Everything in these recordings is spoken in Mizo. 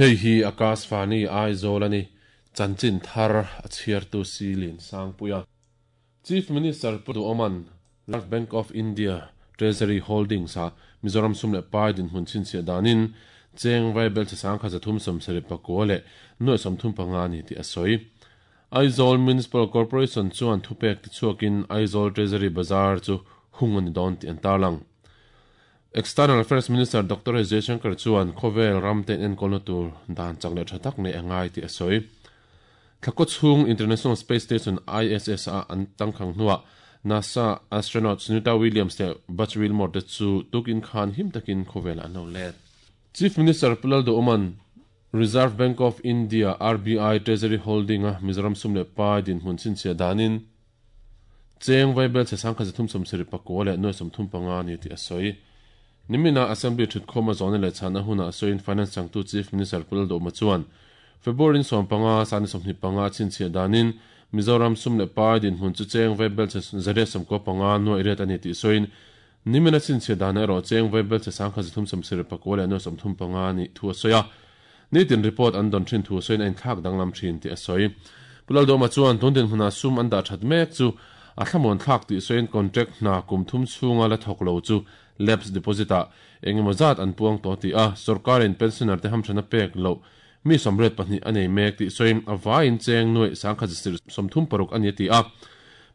Hei hi Akashvani Aizawl a ni. Chanchin thar a chhiartu Silin Sangpuia. Chief Minister Pu Duhawma'n Reserve Bank of India Treasury Holdings ah Mizoram sum leh pai dinhmun chhinchhiah danin cheng vaibel chi 1374 leh 35 a ni tih a sawi. Aizawl Municipal Corporation chuan thupek tichhuakin Aizawl Treasury Bazar chu hung a ni dawn tih an tarlang. External Affairs Minister Doctor S Jaishankar chuan khawvel ram te enkawlna tur dan chak leh tha tak nei a ngai tih a sawi. Thlakaw chhung International Space Station, ISS, a an tangkhang hnuah NASA astronaut Sunita Williams leh Butch Wilmore te chu tukin khan him takin khawvelah an lo let. Chief Minister Pu Lalduhawma'n Reserve Bank of India, RBI, Treasury Holding-a Mizoram sum leh pai dinhmun chhinchhiah danin cheng vaibel chhe 1374 leh 35 a ni tih a sawi. Nimina Assembly thutkhawm a zawhna leh chhanna hunah sawiin Finance changtu Chief Minister Pu Lalduhawma chuan February 15, 25 a chhinchhiah danin Mizoram sum leh pai dinhmun chu cheng vaibel chhe 195 nuaih riat a ni tih sawiin Nimina chhinchhiah danah erawh cheng vaibel chhe 1374 leh 35 a nih thu a sawi a. Nitin report an dawn thin thu sawiin a inthlak danglam thin tih a sawi. Pu Lalduhawma chuan tun dinhmunah sum an dah that mek chu a thlamuan thlak tih sawiin contract hna kum thum chhunga la thawk lo chu lapse deposit ah eng emaw zat an puang tawh tih a, sorkarin pensioner te hamthana pek loh mi 82 a nei mek tih sawiin a vaiin cheng nuaih 1136 a ni a ti a.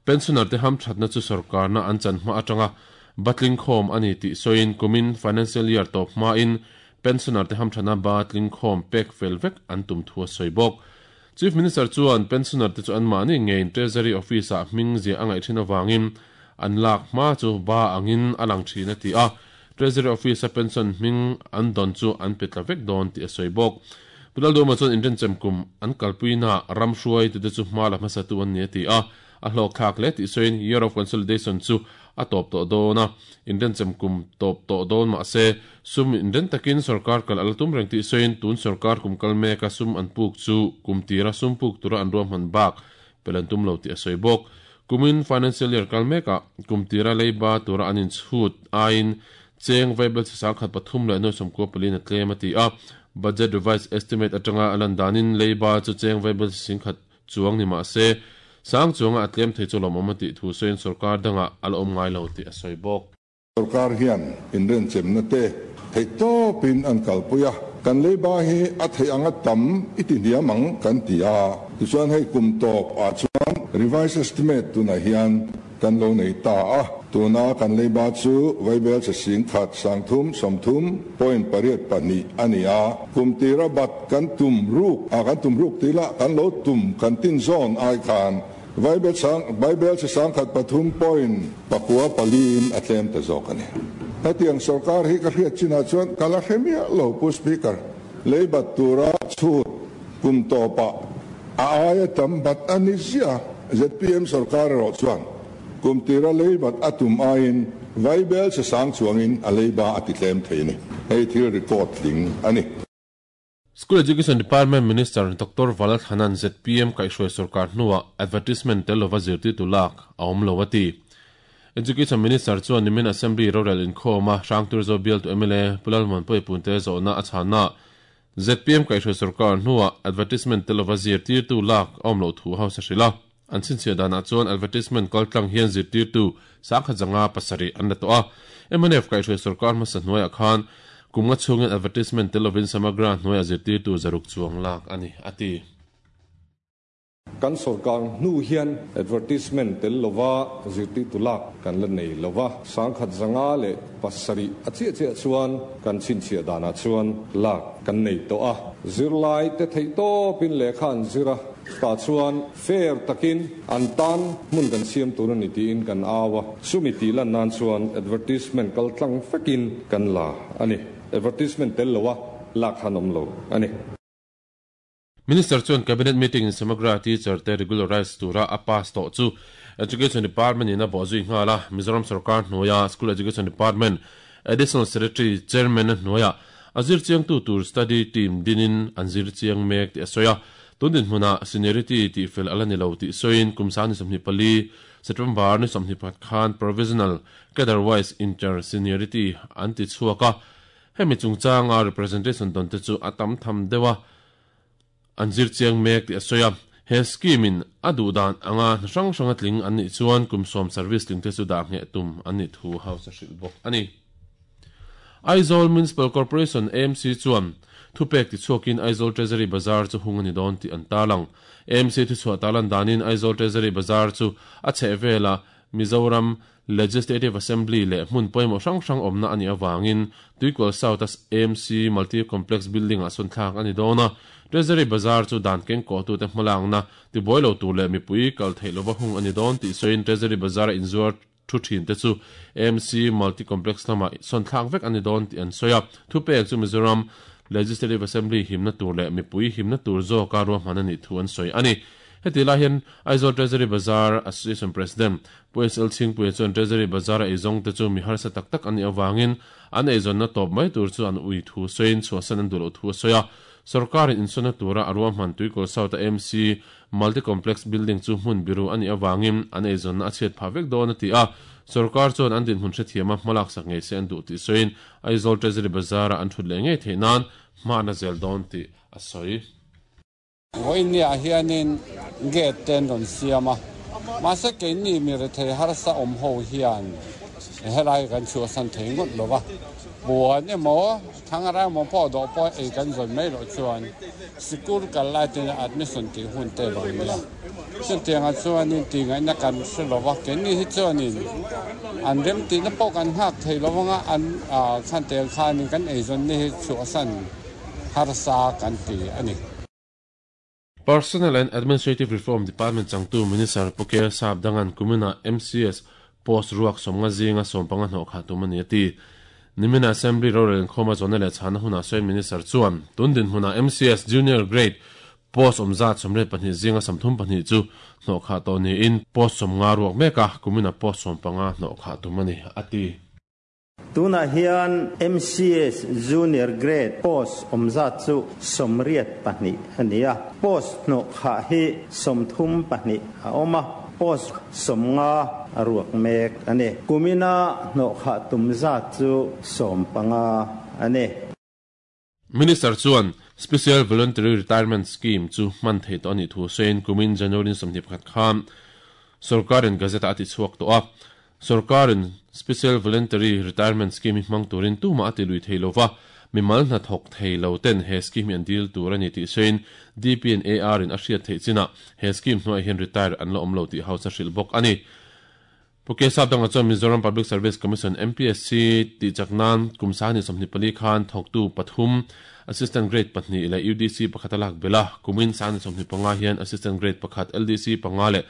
Pensioner te hamthatna chu sorkarna an chan hma atanga batling khawm a ni tih sawiin kumin financial year tawp hmain Pensioner te hamthana ba tlingkhawm pek fel vek an tum thu a sawi bawk. Chief Minister chuan pensioner te chu anmahni ngeiin Treasury Office ah hming ziah a ngaih thin avangin an lak hma chu ba angin a lang thin a ti a, Treasury Office a pension hming an dawn chu an pe tla vek dawn tih a sawi bawk. Pu Lalduhawma chuan inrenchem kum an kalpuinaah ram hruaitute chu hma la hmasatu an ni a ti a, A hlawkthlak hle tih sawiin Year of Consolidation chu a tawp tawh dawn a, inrenchem kum tawp tawh dawn mah se, sum inren takin sorkar kal a la tum reng tih sawiin tun sorkar kum kal meka sum an puk chu kum tira sum puk tura an ruahman bak pel an tum lo tih a sawi bawk. Kumin Financial Year kal mekah kum tira leiba tura an inchhut aiin cheng vaibel chi 1003 leh 94 a tlem a ti a, Budget Revised Estimate atanga a lan danin leiba chu cheng vaibel chi 10,000 Chuang ni mah se, sang chuanga a tlem thei chu lawmawm a tih thu sawiin sorkar dangah a la awm ngai lo tih a sawi bawk. Sorkar hian inrenchemna te theih tawpin an kalpui a, kan leiba hi a theih anga tam i ti hniam ang kan ti a, tichuan hei kum tawp ah chuan revised estimate tunah hian Kan lo nei ta a, tuna kan leiba chu Vaibel che 10,000 330 point 8 2 a ni a. Kum tira bat kan tum ruk a, kan tum ruk tih lah kan lo tum kan tin zawn ai khan Vaibel sang Vaibel che 1003 point 9 4 in a tlem ta zawk a ni. Hetiang sorkar hi ka hriat chinah chuan ka la hre miah lo Pu Speaker. Leibat tura chhut kum tawpah a aia tam bat a ni ziah a, zpm sorkar erawh chuan kum tira leibat a tum aiin vaibel che sang chuangin a leiba a ti tlem thei a ni. Hei thil record tling a ni. School Education Department Minister Doctor Valalthana'n zpm kaihhruai sorkar hnuah advertisement tel lova zirtirtu lak a awm lo a ti. Education Minister chuan nimin Assembly rorel inkhawma Hrangturzo bialtu mla Pu Lalmuanpuia Punte zawhna a chhannaah zpm kaihhruai sorkar hnuah advertisement tel lova zirtirtu lak a awm loh thu hausa hrilh a. An chhinchhiah danah chuan advertisement kaltlang hian zirtirtu 1057 an la tawh a. Mnf kaihhruai sorkar hmasa hnuaiah khan kum nga chhungin advertisement tel lovin Samagra hnuaiah zirtirtu 600 chuang lak a ni, a ti. Kan sorkar hnu hian advertisement tel lova zirtirtu lak kan la nei lova, 1057 a chiah chiah chuan kan chhinchhiah danah chuan lak kan nei tawh a. Zirlai te theih tawpin lehkha an zir a, chutah chuan fair takin an tan hmun kan siam tur a ni tiin kan au a, chumi tih lan nan chuan advertisement kal tlang vekin kan la a ni. Advertisement tel loa lak khan awm lo a ni. Minister chuan Cabinet meeting in Samagra teacher te regularise tura a pass tawh chu Education Department in a bawh zui nghal a, Mizoram sorkar hnuaia School Education Department Additional Secretary Chairman a hnuaia a zir chiangtu tur study team dinin an zir chiang mek tih a sawi a. Tun dinhmunah seniority tih fel a la ni lo tih sawiin kum sang ni 24 September ni 21 khan Provisional Cadre-wise Inter-Seniority an ti chhuak a. Hemi chungchanga representation dawn te chu a tam tham deuh a, an zir chiang mek tih a sawi a. He scheme in a duh dan anga hna hrang hranga tling an nih chuan kum sawm service tling te chu dah ngheh tum an nih thu House a hrilh bawk a ni. Aizawl Municipal Corporation, AMC, chuan thupek tichhuakin Aizawl Treasury Bazar chu hung a ni dawn tih an tarlang. AMC thuchhuah tarlan danin Aizawl Treasury Bazar chu a chhehvelah Mizoram Legislative Assembly leh hmun pawimawh hrang hrang awmna a nih avangin Tuikual South-a AMC Multi Complex Building-ah sawn thlak a ni dawn a. Treasury Bazar chu dan kengkawhtute hmalakna tibuai lo tur leh mipui kal theih lova hung a ni dawn tih sawiin Treasury Bazar-a inzuar thu thinte chu AMC Multi Complex lamah sawn thlak vek a ni dawn tih an sawi a. Thupek chu Mizoram Legislative Assembly himna tur leh mipui himna tur zawka ruahman a nih thu an sawi a ni. Heti lai hian Aizawl Treasury Bazar Association President Pu SL Chhingpuia chuan Treasury Bazar-a eizawngte chu mi harsa tak tak an nih avangin an eizawnna tawp mai tur chu an ui thu sawiin chhuahsan an duh loh thu a sawi a. Sorkarin insawnna tura a ruahman Tuikawl South-a AMC Multi Complex Building chu hmun biru a nih avangin an eizawnna a chhiat phah vek dawn a ti a. Sorkar chuan an dinhmun hrethiama hmalaksak ngei se an duh tih sawiin Aizawl Treasury Bazar-a an thut leh ngei theih nan hma an la zel dawn tih a sawi. Vawinia hianin gate te an rawn siam a, mahse keini mi rethei harsa awm ho hian helai kan chhuahsan thei ngawt lo va, puan emaw thangara emaw pawh dawh pawh ei kan zawn mai loh chuan sikul kal lai ten admission tih hun te lo nia. Chutiangah chuanin tihngaihna kan hre lo va, keini hi chuanin an remtihna pawh kan nghak thei lo vanga an khan tel khanin kan eizawnna hi chhuahsan harsa kan ti a ni. Personnel and Administrative Reform Department changtu Minister Pu Kel Sap Dangan kuminah MCS post ruak sawmnga zinga sawmpanga hnawh khah tum a ni a ti. Nimina Assembly rorel inkhawma zawhna leh chhana hunah sawiin Minister chuan tun dinhmunah MCS Junior Grade post awm zat 32 zinga 32 chu hnawh khah tawh niin post 50 ruak mek a, kumina post 15 hnawh khah tum a ni a ti. Tunah hian MCS Junior Grade post awm zat chu 82 a ni a, post hnawh khah hi 32 a awm a, post 50 a ruak mek a ni. Kumina hnawh khah tum zat chu 15 a ni. Minister chuan Special Voluntary Retirement Scheme chu hman theih tawh a nih thu sawiin kumin January ni 21 khan sorkarin Gazette-ah a tichhuak tawh a. Sorkarin Special Voluntary Retirement Scheme hi hmang turin tumah a ti lui thei lova, mimal hnathawk thei lo ten he scheme hi an dil tur a ni tih sawiin DPNAR in a hriat theih chinah he scheme hnuaiah hian retire an la awm lo tih House a hrilh bawk a ni. Pu Kesap dangah chuan Mizoram Public Service Commission, MPSC, tih chak nan kum sahnih 24 khan thawktu pathum, Assistant Grade pahnih leh UDC pakhat a lak belh a, kumin sahnih 25 hian Assistant Grade pakhat, LDC panga leh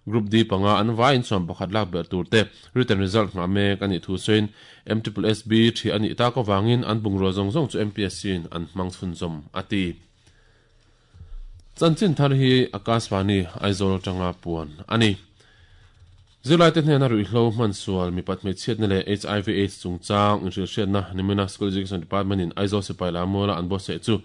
Group D panga an vaiin 11 lak belh tur te written result nghah mek a nih thu sawiin MSSB thi a nih tak avangin an bungrua zawng zawng chu MPSC in an hmang chhunzawm a ti. Chanchin thar hi Akashvani Aizawl atanga puan a ni. Zirlaite hnena ruihhlo hman sual mipat hmeichhiatna leh HIV AIDS chungchang inhrilhhriatna nimina School Education Department in Aizawl sipai lammuala an buatsaih chu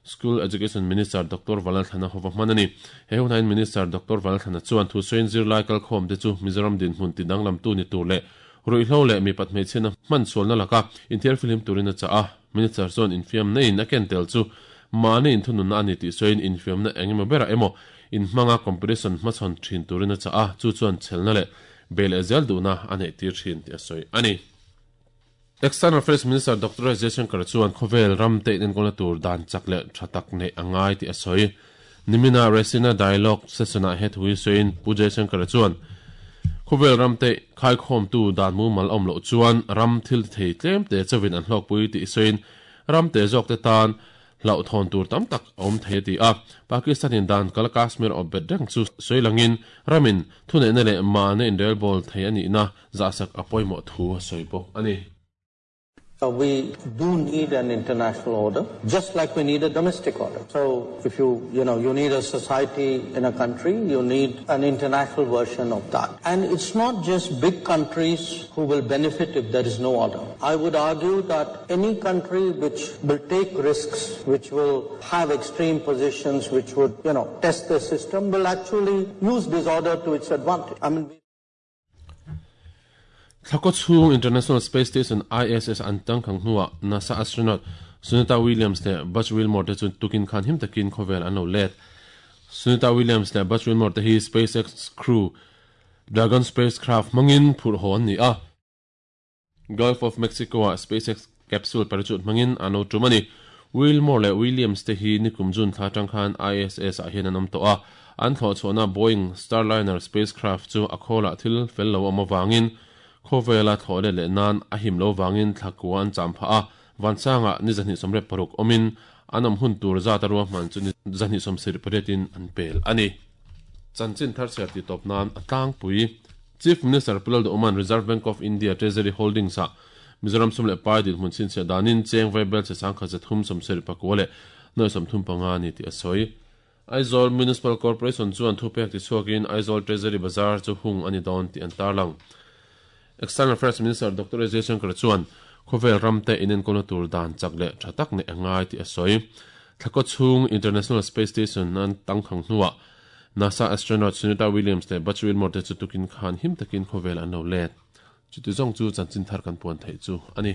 School Education Minister Doctor Valalthlana hova hman a ni. He hunah Minister Doctor Valalthlana chuan thusawiin zirlai kalkhawmte chu Mizoram dinhmun tidanglamtu ni tur leh ruihhlo leh mipat hmeichhiatna hman sualna laka inthiarfihlim turin a chah a. Minister chuan infiamna in a ken tel chu mahni inthununna a ni tih sawiin infiamna eng emaw berah emaw inhmanga competition hmachhawn thin turin a chah a, chu chuan chhelna leh bei leh zel duhna a neih tir thin tih a sawi a ni. External Affairs Minister Doctor S Jaishankar chuan khawvel ram te inenkawlna tur dan chak leh tha tak neih a ngai tih a sawi. Nimina Raisina Dialogue session-ah he thu hi sawiin Pu Jaishankar chuan khawvel ram te khaikhawmtu dan mumal awm loh chuan ram thil ti thei tlem te chauhin an hlawkpui tih sawiin ram te zawk te tan hlauhthawn tur tam tak a awm thei a ti a. Pakistan-in dan kal Kashmir awp bet reng chu sawi langin ramin thuneihna leh mahna inrelbawl thei a nihna zahsak a pawimawh thu a sawi bawk a ni. We do need an international order, just like we need a domestic order. So if you, you know, you need a society in a country, you need an international version of that. And it's not just big countries who will benefit if there is no order. I would argue that any country which will take risks, which will have extreme positions, which would, you know, test the system, will actually use disorder to its advantage. I mean, Thlakaw chhung International Space Station, ISS, an tangkhang hnuah NASA astronaut Sunita Williams leh Butch Wilmore te chu tukin khan him takin khawvel an lo let. Sunita Williams leh Butch Wilmore te hi SpaceX Crew Dragon spacecraft hmangin phurh haw an ni a. Gulf of Mexico-ah SpaceX capsule parachute hmangin an lo tum a ni. Wilmore leh Williams te hi nikum June thla atang khan ISS-ah hian an awm tawh a. An thlawh chhuahna Boeing Starliner spacecraft chu a khawlah thil fel lo awm avangin khawvela thlawh let leh nan a him lo vangin thla kua an cham phah a. Vansangah ni 236 awmin an awm hun tur zat a ruahman chu ni 278 in an pel a ni. Chanchin thar chhiar tih tawp nan a tlangpui. Chief Minister Pu Lalduhawma'n Reserve Bank of India Treasury Holdings-ah Mizoram sum leh pai dinhmun chhinchhiah danin cheng vaibel che 339,035 a ni tih a sawi. Aizawl Municipal Corporation chuan thupek tichhuakin Aizawl Treasury Bazar chu hung a ni dawn tih an tarlang. External Affairs Minister Doctor S Jaishankar chuan khawvel ramte inenkawlna tur dan chak leh tha tak neih a ngai tih a sawi. Thlakaw chhung International Space Station an tangkhang hnuah NASA astronaut Sunita Williams leh Butch Wilmore te chu tukin khan him takin khawvel an lo let. Chuti zawng chu chanchin thar kan puan theih chu a ni.